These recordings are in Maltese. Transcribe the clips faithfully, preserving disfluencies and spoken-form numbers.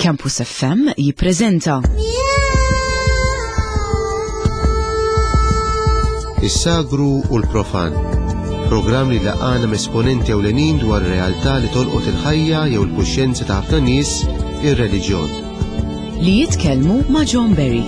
Campus F M jippreżenta Is-Sagru u l-Profan. Programm li jlaqqagħna m'esponenti ewlenin dwar realtà li tolqot il-ħajja jew il-kuxjenza ta' ħafna nies, ir-reliġjon. Li jitkellmu ma' John Berry.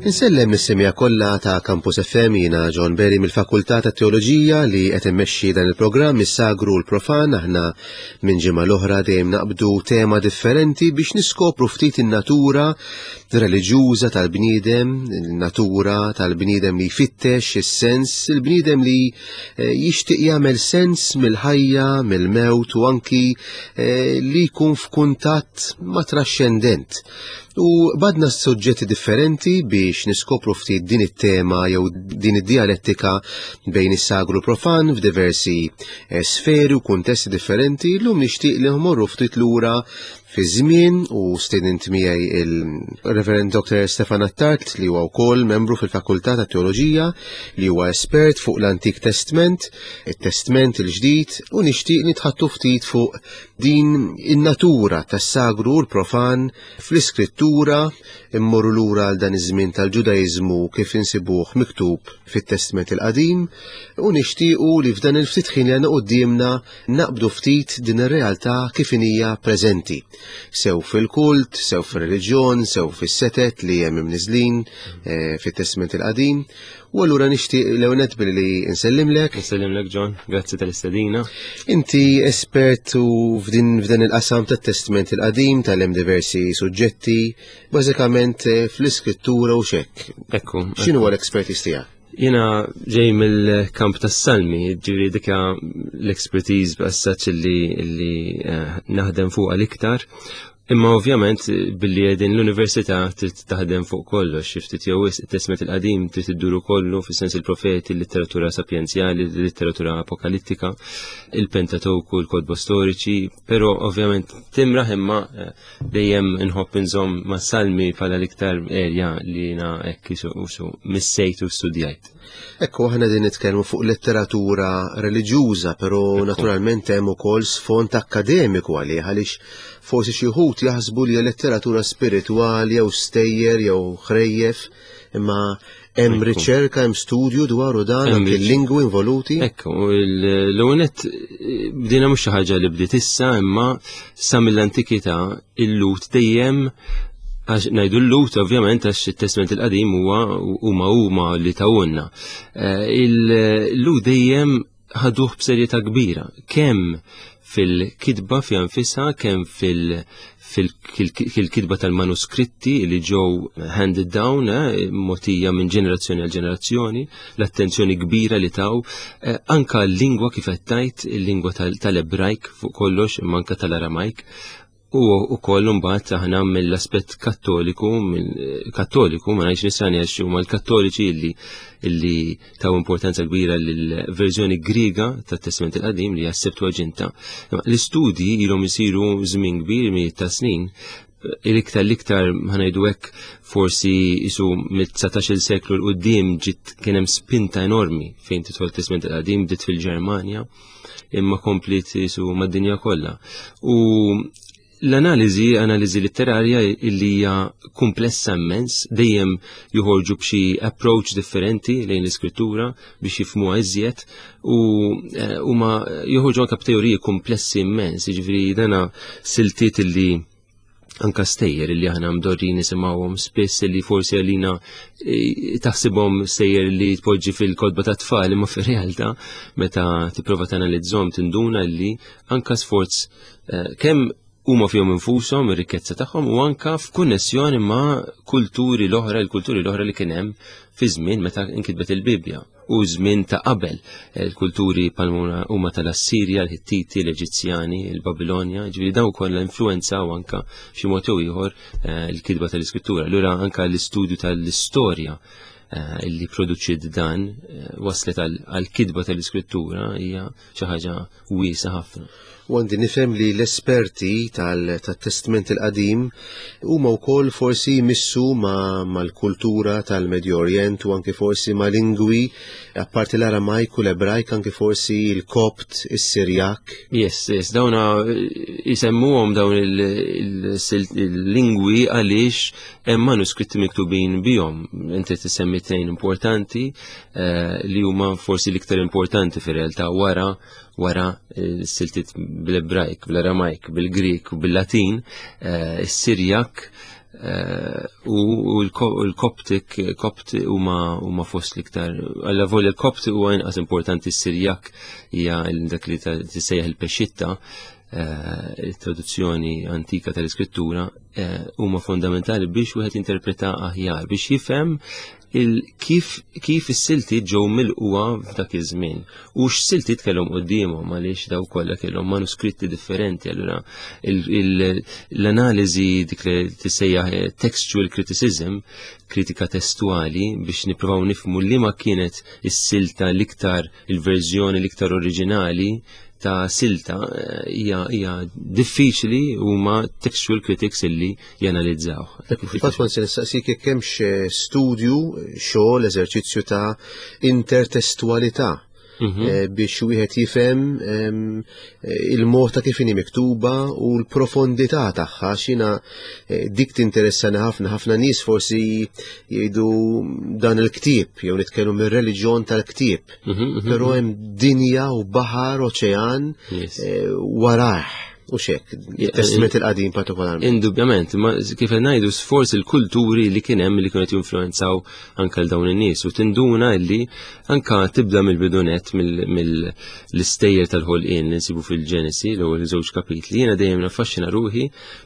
Insellem lis-semmiegħa kollha ta' Campus F M, jiena John Berry mill-Fakultà ta' Teoloġija li qed immexxi dan il-programm Is-Sagru u l-Profan. Aħna minn ġimgħa l-oħra dejjem naqbdu tema differenti biex niskopru ftit in-natura reliġjuża tal-bniedem, il-natura tal-bniedem li jfittex is-sens, il-bniedem li eh, jixtieq jagħmel sens mill-ħajja, mill-mewt u anki eh, li jkun f'kuntatt ma' traxxendent. U qbadna suġġetti differenti biex niskopru ftit din it-tema jew din id-dialettika bejn is-sagru profan f'diversi eh, sferi u kuntesti differenti. Illum nixtieq li nmorru ftit lura fi żmien u stedint miegħi il-Reverend Doctor Stefan Attard, li huwa wkoll membru fil-Fakultà ta' Teoloġija, li huwa espert fuq l-Antik Testament, it-Testament il-Ġdid, u nixtieq nitħaddtu ftit fuq din in-natura tas-sagru u l-profan fl-iskrittura, immorru lura għal dan iż-żmien tal-Ġudaiżmu kif insibuh miktub fit-Testament il-Qadim, u nixtiequ li f'dan il-ftit ħin li għandna quddiemna naqbdu ftit din ir-realtà kif hija preżenti. Sew fil-kult, sew fil-reliġjon, sew fis-setet li hemm imniżlin eh, fit-Testament il-Qadim. U allura nixtieq l-ewwel billi nsellimlek. Nsellimlek, John, grazzi tal-istedina. Inti espert u f'din f'dan il-qasam tat-Testament il-Qadim, tal-hemm diversi suġġetti, bażikament eh, fl-iskrittura u xek. Ekku. X'inhu l-expertise tiegħek? Jiena ġej mill-kamp tas-salmi, ġifieri dika l-expertise b'assaċ li, li eh, naħdem fuq l-iktar. Imma ovvjament billi qegħdin l-università trid taħdem fuq kollox, xi ftit jew wisq, it-Testament il-Qadim trid idduru kollu, fis-sens il-profeti, il-letteratura sapjenzjali, il-letteratura apokalittika, il-Pentateuku, il-kotba storiċi, però ovvjament timraħ, imma eh, dejjem inħobb inżomm ma' salmi bħala l-iktar area li jiena hekk isu missejt u studjajt. Ekku, aħna din nitkellmu fuq letteratura reliġjuża, però naturalment hemm ukoll sfond akademiku għalih, għaliex forsi xi wħud jaħsbu li letteratura spiritwali jew stejjer jew ħrejjef, imma hemm riċerka, hemm studju dwaru dan, anke l-lingwi involuti. Ekku, l-ewwel bdejna mhux xi ħaġa li bdiet issa, imma sa mill-antikità il-Lhud dejjem, għax ngħidu l-Lhud ovvjament għax it-Testament il-Qadim huwa huma huma li tawunna. Eh, il-Lhud dejjem ħaduh b'serjetà kbira, kemm fil-kitba fi nfisha, kemm fil-kitba tal-manuskritti li ġew handed down, eh, mogħtija minn ġenerazzjoni għal ġenerazzjoni, l-attenzjoni kbira li taw, eh, anka l-lingwa kif qed tgħid, il-lingwa tal-Ebrajk fuq kollox, imma anka tal-Aramajk, u ukoll mbagħad aħna mill-aspett kattoliku, mill-kattoliku, ma ngħidx nisrani għax huma l-kattoliċi illi illi taw importanza kbira lill-verżjoni Griega tat-Testament il-Qadim li hija Septuaginta. L-istudji ilhom isiru żmien kbir, mijiet ta' snin, l-iktar l-iktar ħa ngħidu hekk forsi isu mit-dsatax-il seklu 'l quddiem ġiet kien hemm spinta enormi fejn tidħol Testament il-Qadim, bdiet fil-Ġermanja imma komplit isu mad-dinja kollha. U l-analiżi, analiżi letterarja illi hija komplessa immens, dejjem joħorġu b'xi approach differenti lejn l-iskrittura biex jifhmuha iżjed u eh, huma joħorġu anke b'teoriji komplessi immens, jiġifieri dana siltiet illi anka stejjer illi aħna mdorrin nisimgħuhom spiss, illi forsi għalina eh, taħsibhom stejjer li tpoġġi fil-kotba ta' tfal, imma fir-realtà meta tipprova tanalizzhom tinduna li anka sforz eh, kemm huma fihom infushom ir-rikkezza tagħhom u anka f'konnessjoni ma' kulturi l-oħra, il-kulturi l-oħra li kien hemm fi żmien meta inkitbet il-Bibbja u żmien ta' qabel, il-kulturi palmuna huma tal-Assirja, l-Hittiti, l-Eġizzjani, il-Babilonja, ġifieri dawn kollha influenzaw anka xi mod jew ieħor eh, il-kitba tal-iskrittura. Allura anka l-istudju tal-istorja eh, illi produċiet dan eh, waslet għal-kitba tal-iskrittura hija xi ħaġa wiesa ħafna. U għandi nifhem li l-esperti tal-Testament il-Qadim huma wkoll forsi jmissu mal-kultura tal-Medju Orient u anke forsi ma' lingwi, apparti l-Aramajk u l-Ebrajk, anke forsi il-Kopt, is-Sirjak. Yes, yes, dawna jisemmuhom dawn il-lingwi għaliex hemm manuskritti miktubin bihom. Inti tisemmi tnejn importanti eh, li huma forsi l-iktar importanti fir-realtà wara wara s-siltiet bil-Ebrajk, bil-Aramajk, bil-Grik u bil-Latin, eh, is-Sirjak eh, u l-Koptik, Kopt huma fost l-iktar. Alla volja l-Kopt huwa inqas importanti, s-Sirjak hija dak li tissejjaħ il-Pexitta, eh, il-traduzzjoni antika tal-iskrittura, huma fondamentali biex wieħed jinterpreta aħjar, biex jifhem kif kif is-siltiet ġew milquha f'dak iż-żmien u x'siltiet kellhom quddiemhom, għaliex daw kollha kellhom manuskritti differenti. Allura l-analiżi dik li tissejjaħ textual criticism, kritika testuali, biex nippruvaw nifhmu li ma kienet is-silta l-iktar, il-verżjoni l-iktar oriġinali ta' silta, hija hija diffiċli, huma textual critics illi janalizzaw. Fil-fatt kont se nistaqsik jekk hemmx studju, xogħol, eżerċizzju ta' intertestualità mhm. biex wieħed jifhem il-mod ta' kif inhi miktuba u l-profondità tagħha. Xina dik tinteressani ħafna. Ħafna nies forsi jgħidu dan il-ktieb jew nitkellmu mir-reliġjon tal-ktieb, mhm, mhm, però hemm dinja u baħar, oċean warah. U xek, il-Testament il-Qadim partikolarment. Indubjament, ma kif ngħidu sforz il-kulturi li kien hemm li kienu jinfluenzaw anke l dawn in-nies u tinduna li anka tibda mill-bidunet, mill-istejjer tal-ħolqien li nsibu fil-Ġenesi, l-ewwel żewġ kapitli. Jiena dejjem naffaxxina ruħi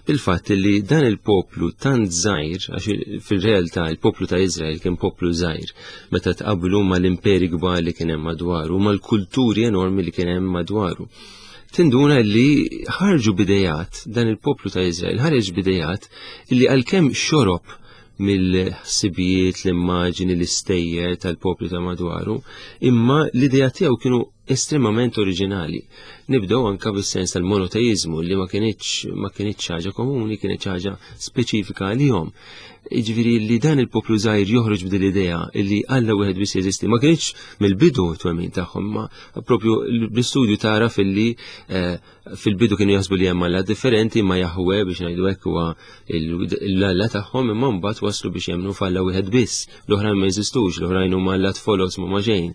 bil-fatt li dan il-poplu tant żgħir, għax fil-realtà il-poplu ta' Iżrael kien poplu żgħir meta tqablu mal-imperi kbar li kien hemm madwaru, mal-kulturi enormi li kien hemm madwaru. Tinduna li ħarġu bidejat, dan il-poplu ta' Izrael ħareġ bidejat li għalkemm xorob mill-ħsibijiet, l-immaġini, l-istejjer tal-poplu ta' madwaru, imma l-idea tiegħu kienu estremament oriġinali. Nibdew anka bis-sens tal-monoteizmu li ma kienx ma kienx ħaġa komuni, kienet ħaġa speċifika għalihom. Jiġifieri li dan il-poplu żgħir joħroġ b'din l-idea li Alla wieħed biss jeżisti, ma kienx mill-bidu twemmin tagħhom, ma propju bl-istudju tara filli eh, fil-bidu kienu jaħsbu li hemm Alla differenti, ma Jahwe biex ngħidu hekk huwa l-Alla tagħhom, imma mbagħad waslu biex jemmnu f'Alla wieħed biss, l-oħrajn ma jeżistux, l-oħrajn huma allat folos ma ġejn.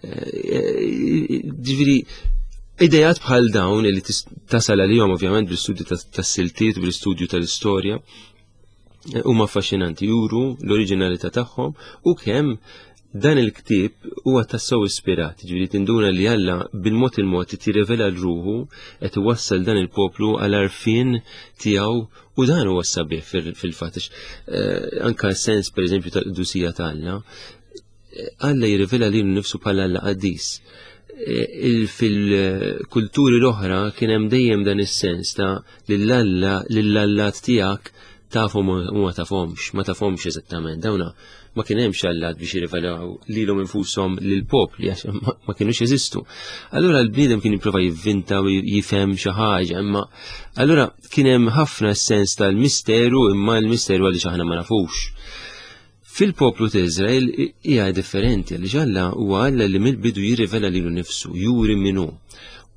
Eh, ġifieri idejat bħal dawn li tasal għalihom ovvjament bl-istudju tas-siltiet, bl-istudju tal-istorja, huma affaxxinanti, juru l-oriġinalità tagħhom u kemm dan il-ktieb huwa tassew ispirat, ġifieri tinduna li Alla bil-mod il-mod tirrivela l-ruħu qed iwassal dan il-poplu għal għarfien tiegħu, u dan huwa sabiħ fil-fatt. Eh, anka sens pereżempju tal-qdusija ta' Alla, Alla jirrivela lilu nnifsu bħala Alla qaddis. Eh, fil-kulturi l-oħra kien hemm dejjem dan is-sens ta' lill-Alla, lill-allat tiegħek tafhom u ma tafhomx, ma tafhomx eżattament. Dawna ma kien hemmx allat biex jirrivelaw lilhom infushom lill-popli għax ma kienux jeżistu. Allura l-bniedem kien jipprova jivvinta u jifhem xi ħaġa, imma allura kien hemm ħafna sens tal-misteru, imma l-misteru għaliex aħna ma nafux. Fil-poplu ta' Iżrael hija differenti, għaliex Alla huwa Alla li mill-bidu jirrivela lilu nnifsu, juri min hu.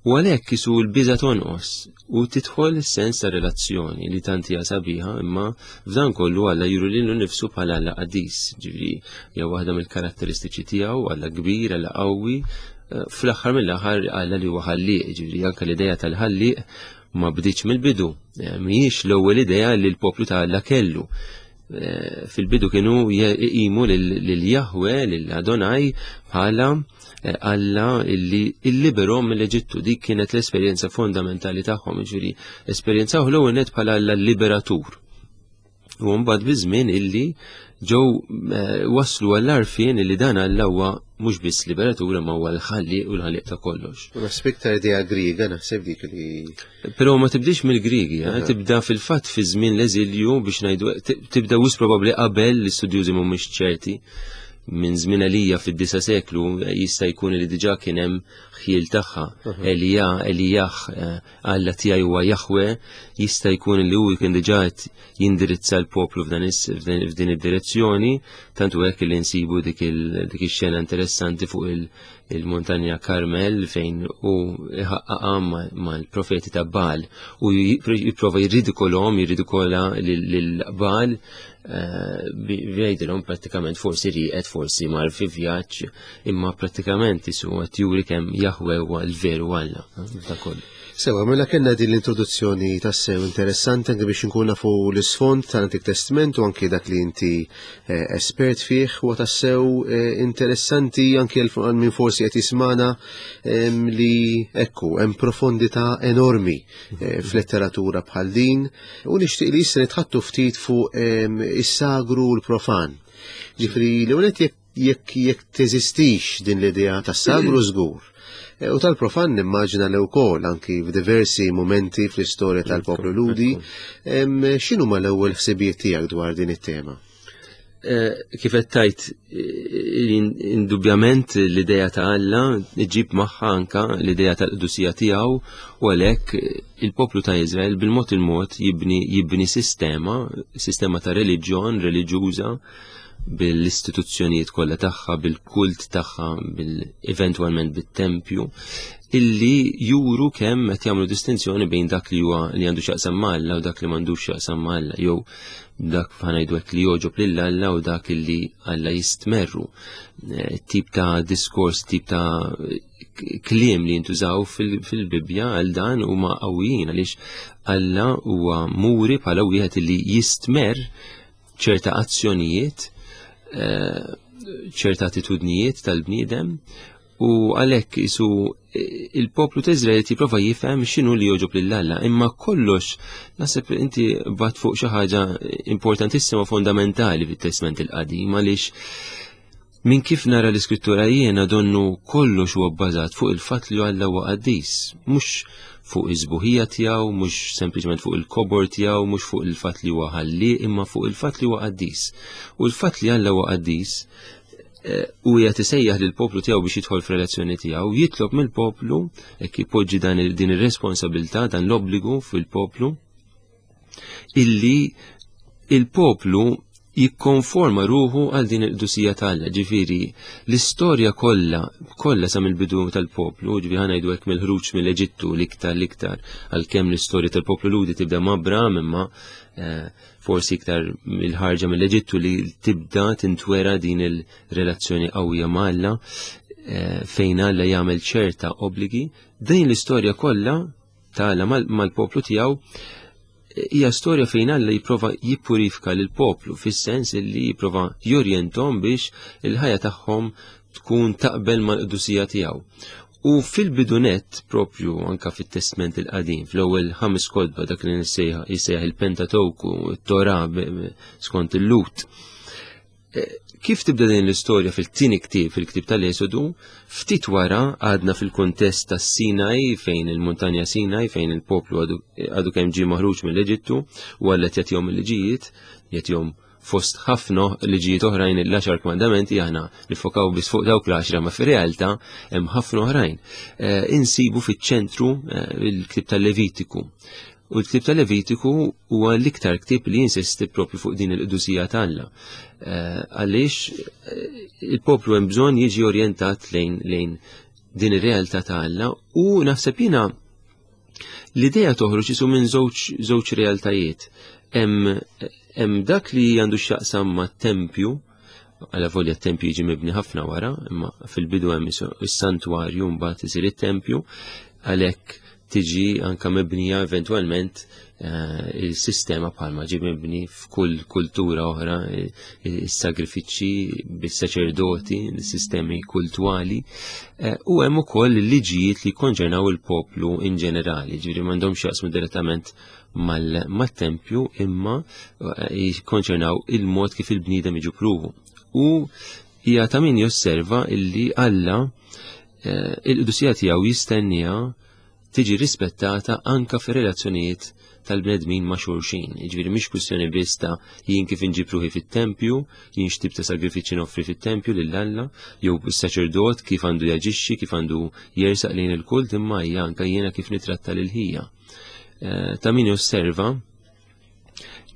U għalhekk isu l-biża' tonqos u tidħol is-sens ta' relazzjoni li tant hija sabiħa, imma f'dan kollu Alla juri lilu nnifsu bħala Alla qaddis, ġifieri hija waħda mill-karatteristiċi tiegħu, Alla kbir, Alla qawwi, fl-aħħar mill-aħħar Alla li huwa ħallieq, ġifieri anke l-idea tal-ħallieq ma bdietx mill-bidu, mhijiex l-ewwel idea li l-poplu ta' Alla kellu. Fil-bidu kienu jqimu lil Jahwe, lil Adonai bħala Alla illi illiberhom mill-Eġittu. Dik kienet l-esperjenza fondamentali tagħhom, jiġifieri esperjenzaw l-ewwel nett bħala Alla liberatur. U mbagħad biż-żmien illi ġew waslu għall-għarfien illi dan Alla huwa mhux biss liberatur imma huwa l-ħallieq u l-ħallieq ta' kollox. U naħseb iktar idea Griega, naħseb dik li Però ma tibdix mill-Griegi, eh? Tibda fil-fatt fi żmien l-eżilju biex ngħidu, tibda wis probabbli qabel, l-istudjużi mhumiex ċerti. Minn żmien Elija fid-disa' seklu jista' jkun li diġà kien hemm ħjiel tagħha. Elija, Elijah, Alla tiegħi huwa Jahwe, jista' jkun li hu kien diġà qed jindirizza l-poplu f'din id-direzzjoni, tantu hekk li nsibu dik ix-xena interessanti fuq il-montanja Karmel fejn hu iħaqqaqha mal-profeti ta' Baal u jipprova jirridikolhom, jirridikola lil Baal, jgħidilhom prattikament forsi rieqed, forsi mar fi vjaġġ, imma prattikament isu qed juri kemm Jahwe huwa l-veru Alla ta' kollu. Sewa, mela kellna din l-introduzzjoni tassew interessanti anke biex inkun nafu l-isfond tal-Antik Testament u anke dak li inti espert fih, huwa tassew interessanti anke għal min forsi qed jismana li ekku hemm profondità enormi f'letteratura bħal din, u nixtieq li issa nitħattu ftit fuq is-sagru u l-profan. Ġifieri l-ewwel jekk jekk teżistix din l-idea tas-sagru żgur. U tal-profan nimmaġina li wkoll anki f'diversi momenti fl-istorja tal-poplu Lhudi, x'inhu ma l-ewwel ħsibijiet tiegħek dwar din it-tema? Kif qed tgħid, indubjament l-idea ta' Alla ġib magħha anka l-idea tal-qdusija tiegħu, u għalhekk il-poplu ta' Iżrael bil-mod il-mod jibni jibni sistema, sistema ta' reliġjon reliġjuża bil-istituzzjonijiet kollha tagħha, bil-kult tagħha, bil-eventwalment bit-tempju, illi juru kemm qed jagħmlu distinzjoni bejn dak li huwa li għandu x'jaqsam ma' Alla u dak li m'għandux x'jaqsam ma' Alla, jew dak ħanajdu hekk li jogħġob lil Alla u dak illi Alla jistmerru. Tip ta' diskors, tip ta' kliem li jintużaw fil-Bibbja għal dan huma qawwijin, għaliex Alla huwa muri bħala wieħed illi jistmerr ċerta azzjonijiet, ċerta attitudnijiet tal-bniedem, u għalhekk isu il-poplu ta' Iżrael jipprova jifhem x'inhu li jogħġob lil Alla, imma kollox naħseb inti bat fuq xi ħaġa importantissima fondamentali fit-Testament il-Qadim, għaliex minn kif nara l-Iskrittura jiena donnu kollox huwa bbażat fuq il-fatt li Alla huwa qaddis, mhux fuq iż-żbuħija tiegħu, mhux sempliċement fuq il-kobor tiegħu, mhux fuq il-fatt li huwa ħalli, imma fuq il-fatt li huwa qaddis. U l-fatt li Alla huwa qaddis u qiegħed isejjaħ lill-poplu tiegħu biex jidħol f'relazzjoni tiegħu, jitlob mill-poplu hekk ipoġġi dan din ir-responsabilità, dan l-obbligu fil-poplu, illi il-poplu jikkonforma ruħu għal din il-qdusija ta' Alla. Ġifieri l-istorja kollha kollha sa mill-bidu tal-poplu, ġifieri ħa ngħidu hekk mill-ħruġ mill-Eġittu l-iktar l-iktar, għalkemm l-istorja tal-poplu Lhudi tibda ma' Abraham, imma forsi iktar mill-ħarġa mill-Eġittu li tibda tintwera din il-relazzjoni qawwija ma' Alla, fejn Alla jagħmel ċerta obbligi. Din l-istorja kollha ta' Alla mal-poplu tiegħu hija storja fejn Alla jipprova jippurifika lill-poplu, fis-sens li jipprova jorjenthom biex il-ħajja tagħhom tkun taqbel mal-qdusija tiegħu. U fil-bidunet propju anka fit-Testament il-Qadim, fl-ewwel ħames kotba, dak li jissejjaħ il-Pentateuku, it-Torah skont il-Lut. Kif tibda din l-istorja fil-tieni ktieb, fil-ktieb tal-Esodu, ftit wara għadna fil-kuntest tas-Sinaj, fejn il-muntanja Sinaj, fejn il-poplu għadu kemm ġie maħruġ mill-Eġittu, u Alla jagħtihom il-liġijiet, jagħtihom fost ħafna liġijiet oħrajn l-għaxar kmandamenti, aħna nifokaw biss fuq dawk l-għaxra, ma fir-realtà hemm ħafna oħrajn. Insibu fiċ-ċentru il-ktieb tal-Levitiku. U l-ktieb tal-Levitiku huwa l-iktar ktieb li jinsisti propju fuq din il-qdusija ta' Alla. Għaliex il-poplu hemm bżonn jiġi orjentat lejn lejn din ir-realtà ta' Alla, u naħseb jiena l-idea toħroġ isu minn żewġ żewġ realtajiet. Hemm dak li għandu x'jaqsam mat-tempju, għala volja t-tempju jiġi mibni ħafna wara, imma fil-bidu hemm is-santwarju mbagħad isir it-tempju, għalhekk tiġi anka mibnija eventwalment il-sistema bħalma ġi mibni f'kull kultura oħra, is-sagrifiċċji bis-saċerdoti, is-sistemi kultwali, u hemm ukoll il-liġijiet li jikkonċernaw il-poplu in ġenerali, ġifieri m'għandhomx jaqsmu direttament mat-tempju, imma jikkonċernaw il-mod kif il-bniedem jiġu pruvu. U hija ta' min josserva illi Alla il-qdusija tiegħu jistennija tiġi rispettata anka fir-relazzjonijiet tal-bnedmin ma' xulxin. Jiġifieri mhix kwistjoni biss ta' jien kif inġib ruħi fit-tempju, jien x'tip ta' sagrifiċċji noffri fit-tempju lil Alla, jew is-saċerdot kif għandu jaġixxi, kif għandu jersaq lejn il-kult, imma hija anke jiena kif nitratta lil ħija. Eh, ta' min josserva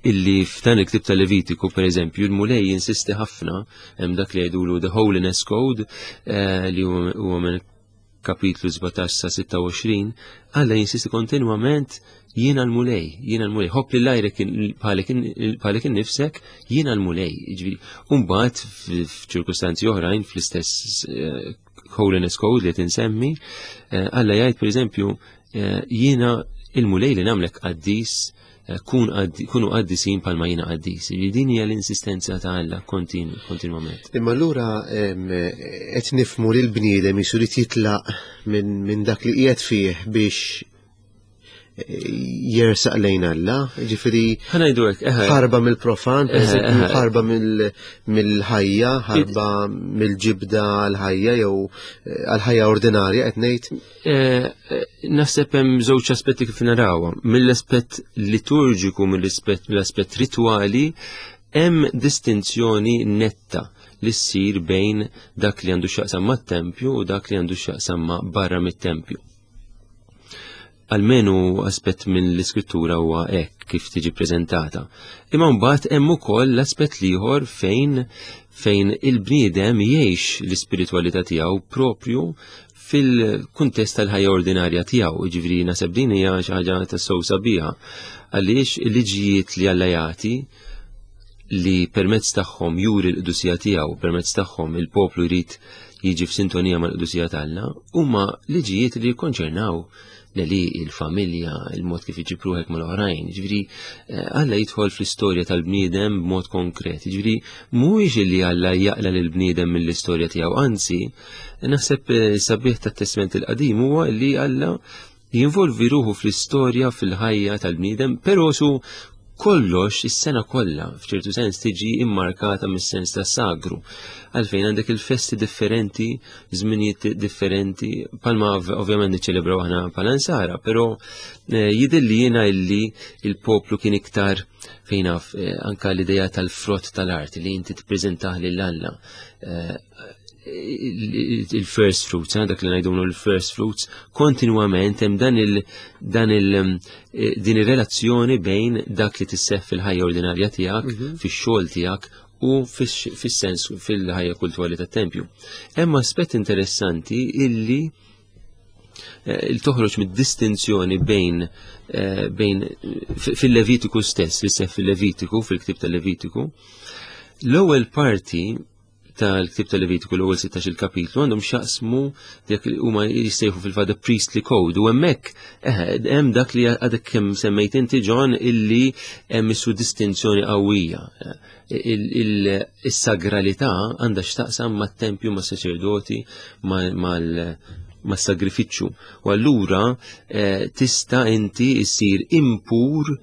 illi f'dan il-ktib ta' Levitiku, per eżempju, il-Mulej jinsisti ħafna hemm dak li jgħidulu The Holiness Code, eh, li huwa minn kapitlu sbatax sa sitta u għoxrin, Alla jinsisti kontinwament jiena l-Mulej, jiena l-Mulej, ħobb lil għajrek bħalek innifsek, jiena l-Mulej. Jiġifieri, u mbagħad f'ċirkustanzi oħrajn fl-istess, eh, Holiness Code li tinsemmi, eh, Alla jgħid per eżempju, eh, jiena il-Mulej li nagħmlek qaddis, eh, kun qaddi-, kunu qaddisin palma jiena qaddis. Jiġifieri din hija l-insistenza ta' Alla kontinu-, kontinwament. Imma allura, em, qed nifhmu li l-bniedem jisu li jitlaq minn, minn dak li qiegħed fih biex jersaq lejn Alla, ġifieri Ħa ngħidu hekk, eħe. ħarba mill-profan, per Eħe, eżempju, eħe. ħarba mill-, mill-ħajja, ħarba mill-ġibda għal-ħajja jew, eh, għal-ħajja ordinarja qed ngħid. Eh, eh, naħseb hemm żewġ aspetti kif narawha. Mill-aspett liturġiku, mill-aspett, mill-aspett ritwali, hemm distinzjoni netta li ssir bejn dak li għandu x'jaqsam mat-tempju u dak li għandu x'jaqsam ma' barra mit-tempju. Almenu aspett minn l-iskrittura huwa hekk kif tiġi preżentata. Imma mbagħad hemm ukoll l-aspett l-ieħor fejn, fejn il-bniedem jgħix l-ispiritwalità tiegħu propju fil-kuntest tal-ħajja ordinarja tiegħu. Jiġifieri naħseb din hija xi ħaġa tassew sabiħa għaliex il-liġijiet li Alla jagħti li permezz tagħhom juri l-qdusija tiegħu, permezz tagħhom il-poplu jrid jiġi f'sintonija mal-qdusija t'Alla, huma liġijiet li jikkonċernaw li il-familja, il-mod kif iġib ruħek mal-oħrajn. Ġifieri, eh, Alla jidħol fl-istorja tal-bniedem b'mod konkret. Ġifieri, mhuwiex li Alla jaqla lill-bniedem mill-istorja tiegħu, anzi, naħseb, eh, sabiħ tat-Testament il-Qadim huwa li Alla jinvolvi ruħu fl-istorja, fil-ħajja tal-bniedem, però su kollox is-sena kollha f'ċertu sens tiġi immarkata mis-sens ta' sagru. Għalfejn għandek il-festi differenti, żminijiet differenti, palma ov-, ovvjament niċċelebraw aħna bħala nsara, però, eh, jidher li jiena illi il-poplu kien iktar fejn naf, eh, anka l-idea tal-frott tal-art li inti tippreżentah lil Alla. Eh, il-first fruits, eh, dak li ngħidulu l-first fruits, kontinwament hemm dan il, dan il, eh, din ir-relazzjoni bejn dak li tisseħ fil-ħajja ordinarja tiegħek, Mhm. fix-xogħol tiegħek u fix-, fis-sens fil-ħajja kulturali tat-tempju. Hemm aspett interessanti illi, eh, il toħroġ mid-distinzjoni bejn, eh, bejn fi-, fil-Levitiku stess, li seħ fil-Levitiku, fil-ktib tal-Levitiku. L-ewwel parti tal-ktib tal-Levitiku, l-ewwel sittax-il kapitlu, għandhom x'jaqsmu dak li huma jissejħu fil-fatt the priestly code, u hemmhekk, eh, hemm dak li għadek kemm semmejt inti John, illi hemm issu distinzjoni qawwija. Il-, il-, is-sagralità għandha x'taqsam mat-tempju, mas-saċerdoti, ma-, mal-, mas-sagrifiċċju. U allura, eh, tista' inti issir impur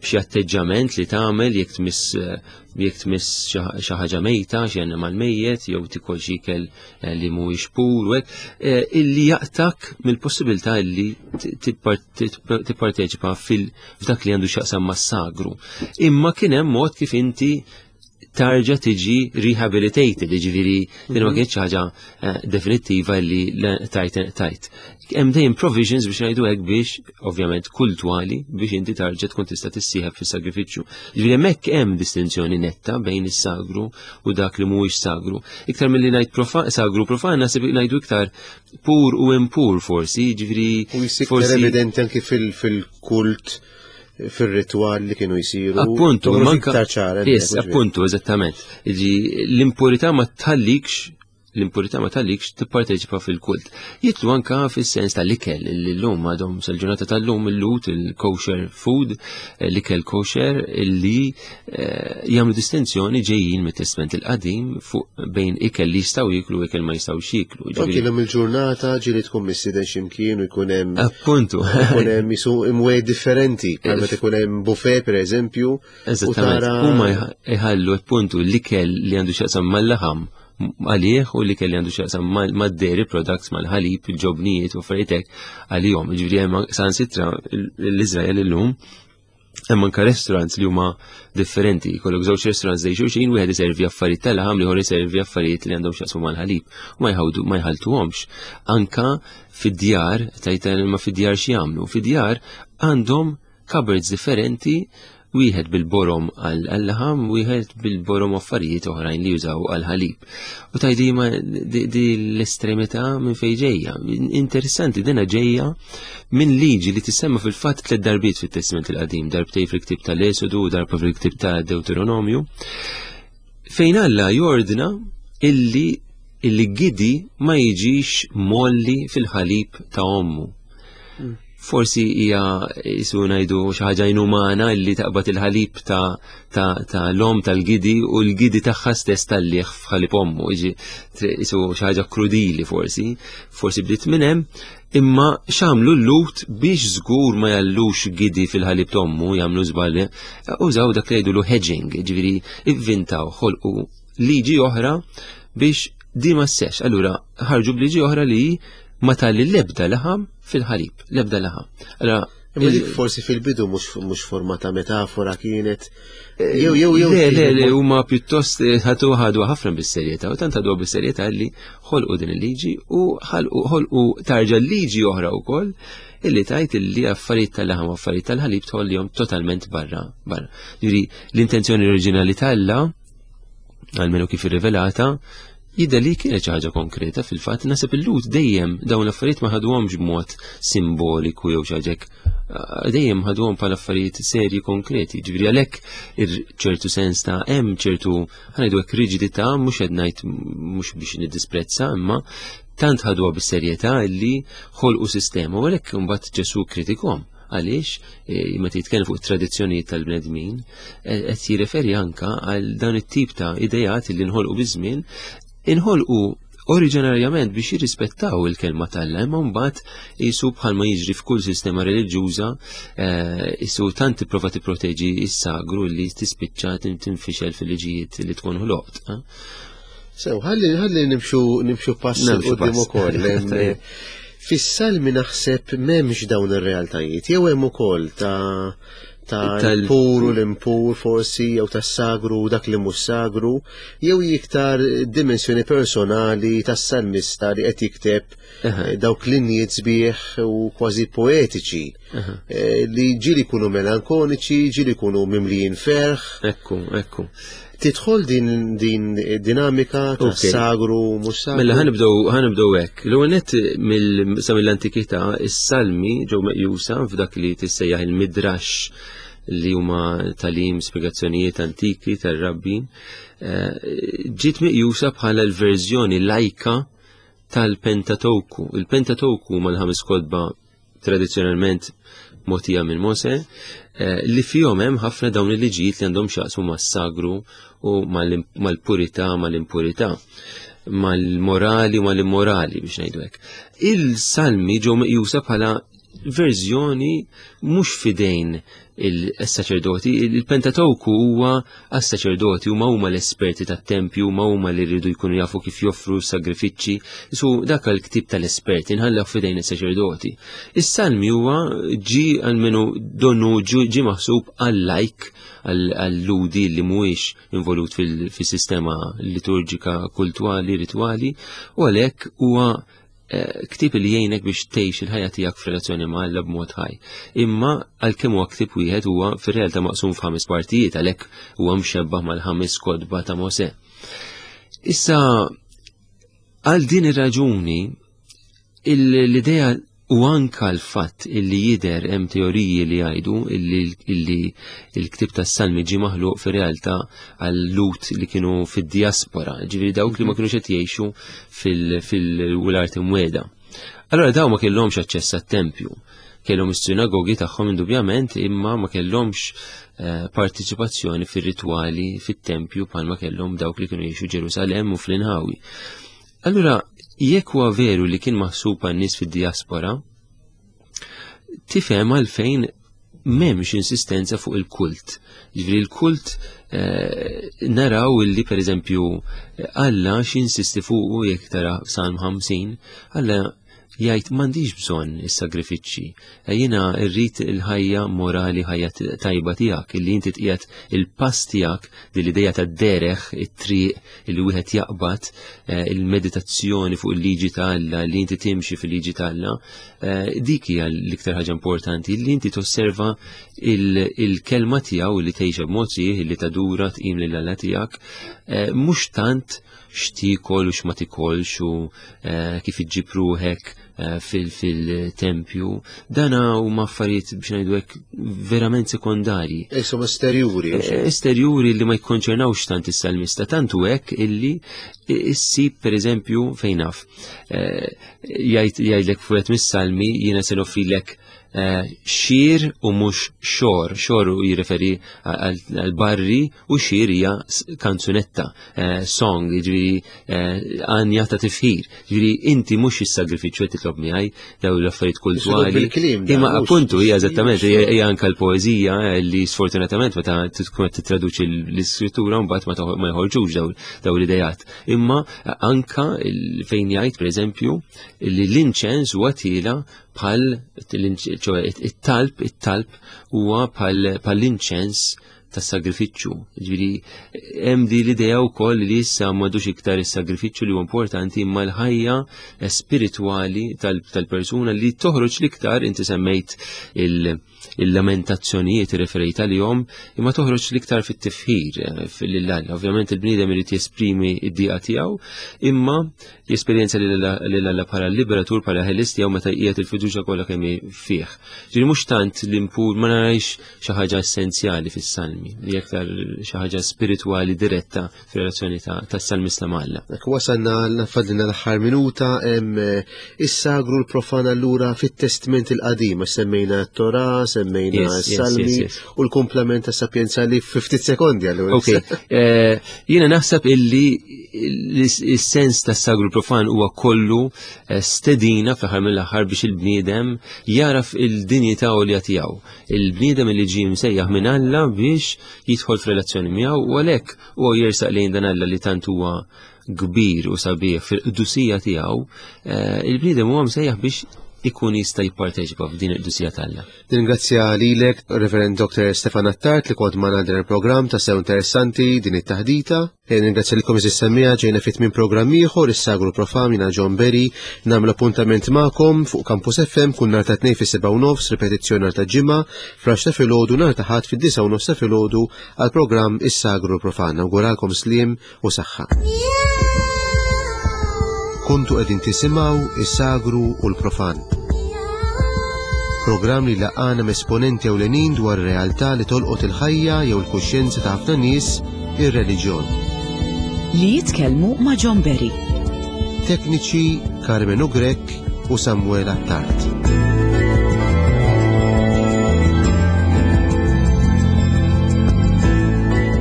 b'xi atteġġament li tagħmel jekk tmiss, eh, jekk tmiss xi ħa-, xi ħaġa mejta, xi annimal mejjet, jew tikol xi ikel, eh, li mhuwiex pur, u hekk, eh, illi jaqtak mill-possibilità illi ti-, tipar-, tip-, tipparteċipa fil-, f'dak li għandu x'jaqsam mas-sagru. Imma kien hemm mod kif inti tarġa tiġi rehabilitated, jiġifieri din ma Mhm. kienx ħaġa, eh, definittiva li tajt, tajt. Hemm dejjem provisions biex ngħidu hekk biex, ovvjament, kultwali biex inti tarġa tkun tista' tissieħeb fis-sagrifiċċju. Jiġifieri hemmhekk hemm distinzjoni netta bejn is-sagru u dak li mhuwiex sagru. Iktar milli ngħid profa-, sagru profan, naħseb ngħidu iktar pur u impur forsi, jiġifieri U jsir forsi evidenti anki fil-, fil-kult, fil-ritual li kienu jisiru. Appuntu, Toħroġ manka iktar ċara, Yes, ġifieri. appuntu, eżattament. Jiġi, l-impurità ma tħallikx, l-impurità ma tħallikx tipparteċipa fil-kult. Jitlu anka fis-sens tal-ikel li llum għadhom sal-ġurnata tal-lum il-lut, il-kosher food, l-ikel kosher li, eh, jagħmlu distinzjoni ġejjin mit-Testament il-Qadim fuq bejn ikel li jistgħu jiklu u ikel ma jistgħux jiklu. Anki Ġifieri l-lum il-ġurnata ġieli tkun mistieden x'imkien u jkun hemm Appuntu. jkun hemm isu imwej differenti, bħal meta jkun hemm buffet pereżempju, u Eżattament. tara Huma jħ-, jħallu appuntu l-ikel li għandu x'jaqsam mal-laħam għalih u li kelli għandu x'jaqsam mal-, mad-dairy products, mal-ħalib, il-ġobnijiet u affarijiet hekk għalihom. Jiġifieri hemm sansitra l-Iżrael illum Hemm anke restaurants li huma differenti, jkollok żewġ restaurants dej xulxin, wieħed iservi affarijiet tal-laħam, l-ieħor iservi affarijiet li għandhom x'jaqsmu mal-ħalib u ma jħawdu ma jħaltuhomx. Anka fid-djar, tajta ma fid-djar x'jagħmlu? Fid-djar għandhom cupboards differenti, wieħed bil-borom għal-laħam, wieħed bil-borom affarijiet oħrajn li jużaw għal-ħalib. U tajdi ma di, di l-estremità minn fejn ġejja. Interessanti, dina ġejja minn liġi li tissemma fil-fatt tliet darbiet fit-Testament il-Qadim, darbtej fil-ktib tal-Esodu u darba fil-ktib ta' Deuteronomju, fejn Alla jordna illi illi gidi ma jiġix molli fil-ħalib ta' ommu. Forsi hija jisu ngħidu xi ħaġa inumana illi taqbad il-ħalib ta' ta' ta' l-om tal-gidi u l-gidi tagħha stess tal-liħ f'ħalib ommu, jiġi jisu xi ħaġa krudili forsi, forsi bdiet minn hemm, imma x'għamlu l-Lhud biex żgur ma jallux gidi fil-ħalib t'ommu, jagħmlu żball, użaw dak li jgħidulu hedging, ġifieri ivvintaw, ħolqu liġi oħra biex di ma sseħx. Allura ħarġu b'liġi oħra li ma talli l-ebda laħam fil-ħalib, l-ebda laħam. Allora, Imma dik forsi fil-bidu mhux mhux forma ta' metafora kienet. Jew jew jew Le, le, le, huma pjuttost eh, ħadu ħadu ħafna bis-serjetà u tant ħadu bis-serjetà li ħolqu din il-liġi u ħalqu ħolqu tarġa liġi oħra wkoll illi tajt illi affarijiet tal-laħam u affarijiet tal-ħalib tħollihom totalment barra barra. Ġifieri l-intenzjoni oriġinali t'Alla, almenu kif irrivelata, jidher li kienet xi ħaġa konkreta. Fil-fatt naħseb il-Lhud dejjem dawn l-affarijiet ma ħaduhomx b'mod simboliku jew xi ħaġa hekk, dejjem ħaduhom bħala affarijiet serji konkreti. Ġifieri għalhekk ċertu sens ta' hemm ċertu ħanejdu hekk riġidità, mhux qed ngħid mhux biex niddisprezza, imma tant ħaduha bis-serjetà illi ħolqu sistema u għalhekk imbagħad Ġesù kritikhom. Għaliex, eh, meta jitkellem fuq it-tradizzjonijiet tal-bnedmin, eh, qed jirreferi anka għal dan it-tip ta' idejat li nħolqu biż-żmien, inħolqu oriġinarjament biex jirrispettaw il-kelma t'Alla, imma mbagħad jisu bħalma jiġri f'kull sistema reliġjuża, eh, jisu tant tipprova tipproteġi s-sagru li tispiċċa tinfixel fil-liġijiet li tkun ħloqt. Eh? Sew, ħalli ħalli nimxu nimxu pass Nimxu quddiem pass. ukoll. Hemm, Tajjeb. Fis-salmi naħseb m'hemmx dawn ir-realtajiet, jew hemm ukoll ta' ta' Tal- l-pur u l-impur forsi, jew tas-sagru u dak li mhux sagru, jew iktar dimensjoni personali tas-salmista li qed jikteb Aha. eh, dawk linjiet sbieħ u kważi poetiċi Aha. eh, li ġieli jkunu melankoniċi, ġieli jkunu mimlijin ferħ. Ekku, ekku. Tidħol din din dinamika ta' Ok. sagru mhux sagru. Mela ħanibdew ħanibdew hekk. L-ewwel nett mill sa mill-antikità is-salmi ġew meqjusa f'dak li tissejjaħ il-midrash, li huma talim spjegazzjonijiet antiki tar-rabbi, eh, ġiet meqjusa bħala l-verżjoni lajka tal-Pentateuku. Il-Pentateuku huma l-ħames kotba tradizzjonalment mogħtija minn Mose, eh, li fihom hemm ħafna dawn il-liġijiet li għandhom x'jaqsmu mas-sagru u mal- mal-purità, mal-impurità, mal-morali u mal-immorali biex ngħidu hekk. Il-salmi ġew meqjusa bħala verżjoni mhux fidejn il-saċerdoti. Il-Pentateuku huwa għas-saċerdoti, huma huma l-esperti tat-tempju, huma huma li rridu jkunu jafu kif joffru sagrifiċċji. Su dak l-ktib tal-esperti nħallew fidejn is-saċerdoti. Is-salmi huwa ġi għalmenu donnu ġi ġi maħsub għal-lajk, għall-ludi li mhuwiex involut fil- fis-sistema liturġika, kultuali, ritwali, u għalhekk huwa eh, ktib li jgħinek biex tgħix il-ħajja tiegħek f'relazzjoni ma' Alla b'mod ħaj. Imma għalkemm huwa ktib wieħed, huwa fir-realtà maqsum f'ħames partijiet, għalhekk huwa mxebbaħ mal-ħames kotba ta' Mosè. Issa għal din ir-raġuni il- l-idea u anka l-fatt illi jider hemm teoriji li jgħidu illi illi il-ktib tas-Salmi ġie maħluq fir-realtà għal-Lhud li kienu fid-diaspora, ġifieri dawk li ma kienux qed jgħixu fil-Wild Imwiegħda. Allora daw ma kellhomx aċċess għat-tempju. Kellhom is-sinagogi tagħhom indubjament, imma ma kellhomx eh, partiċipazzjoni fir-ritwali fit-tempju bħalma kellhom dawk li kienu jgħixu Ġerusalem u fl-inħawi. Allura, jekk huwa veru li kien maħsub għan-nies fid-diaspora, tifhem għalfejn m'hemmx insistenza fuq il-kult. Ġifieri il-kult, eh, naraw illi per eżempju Alla x'insisti fuqu jekk tara Salm ħamsin, Alla Jgħid m'għandix bżonn is-sagrifiċċji. Jiena rrid il-ħajja morali, ħajja tajba tiegħek, illi inti tqiegħed il-pass tiegħek, din l-idea tad-dereħ, it-triq illi wieħed jaqbad, il-meditazzjoni fuq il-liġi ta' Alla, li inti timxi fil-liġi ta' Alla, dik hija l-iktar ħaġa importanti, li inti tosserva il-kelma tiegħu li tgħixha b'mod sħiħ, li tadura tqim lil Alla tiegħek, mhux tant x'tiekol u x'ma tikolx u kif iġġib ruħek fil-tempju. Dana huma affarijiet biex ngħidu hekk verament sekondarji. Insomma esterjuri. Esterjuri li ma jikkonċernawx tant is-salmista, tant hu hekk illi issib pereżempju fejn naf. Jgħidlek fuq mis-salmi jiena se noffrilek xir u mhux xor. Xor u jirreferi għal barri u xir hija kanzunetta, song, jiġifieri għanja ta' tifħir. Jiġifieri inti mhux is-sagrifiċċju qed titlob miegħi dawn l-affarijiet kulturali. Imma appuntu hija eżattament hija anke l-poeżija li sfortunatament meta tkun qed tittraduċi l-iskrittura mbagħad ma jħorġux dawn l-idejat. Imma anka fejn jgħid pereżempju li l-inċens huwa tiela bħal it-talb, it-talb huwa bħal l-inċens tas-sagrifiċċju. Ġifieri hemm di l-idea wkoll li issa m'għadux iktar is-sagrifiċċju li huwa importanti, imma l-ħajja spiritwali tal-persuna li toħroġ l-iktar, inti semmejt il-lamentazzjonijiet referejt għalihom, imma toħroġ l-iktar fit-tifħir lil Alla. Ovvjament il-bniedem irid jesprimi d-dieqa tiegħu, imma jesperjenza lil Alla bħala liberatur, bħala ħelis tiegħu meta qiegħed il-fiduċja kollha kemm hi fih. Ġifieri mhux tant l-impur, ma narajx xi ħaġa essenzjali fis-salmi, li aktar xi ħaġa spiritwali diretta fir-relazzjoni tas-salmista ma' Alla. Dak wasalna fadlina l-aħħar minuta, hemm is-sagru l-profan allura fit-Testment il-Qadim, semmejna t-Torah, semmejna s-salmi u l-komplement ta' sapienza li fi ftit sekondi allura. Ok, jiena naħseb illi is-sens tas-sagru profan huwa kollu stedina fl-aħħar mill-aħħar biex il-bniedem jaraf il-dinjità għolja tiegħu. Il-bniedem li ġie msejjaħ minn Alla biex jidħol f'relazzjoni miegħu, u għalhekk huwa jersaq lejn dan Alla li tant huwa kbir u sabiħ fil-qdusija tiegħu. Il-bniedem huwa msejjaħ biex ikun jista' jipparteċipa f'din il-qdusija t'Alla. Ningrazzja lilek, Reverend Doctor Stefan Attard, li kont magħna din il-programm ta' sew interessanti din it-taħdita. Ningrazzja lilkom iżis semmija, ġejna fit minn programm ieħor, is-Sagru Profan, jiena John Berry, nagħmel appuntament magħkom fuq Campus F M kull nhar ta' tnejn fis-sebgħa u nofs, ripetizzjoni nhar ta' Ġimgħa, fl-għaxra ta' filgħodu, nhar ta' Ħadd fid-disgħa u nofs ta' filgħodu għall-programm Is-Sagru Profan. Nawguralkom sliem u saħħa. Kontu qegħdin tisimgħu Is-Sagru u l-Profan. Programm li laqana m'esponenti ewlenin dwar realtà li tolqot il-ħajja jew il-kuxjenza ta' ħafna nies, ir-reliġjon. Li jitkellmu ma' John Berry. Tekniċi Carmenu Grech u Samuel Attard.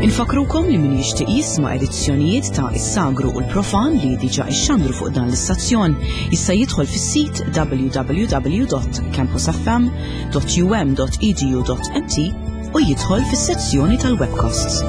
Infakrukom li min jixtieq jisma' edizzjonijiet ta' Is-Sagru u l-Profan li diġà ixxandru fuq dan l-istazzjon jista' jidħol fis-sit w w w dot campus f m dot u m dot e d u dot m t u jidħol fis-sezzjoni tal-webcasts.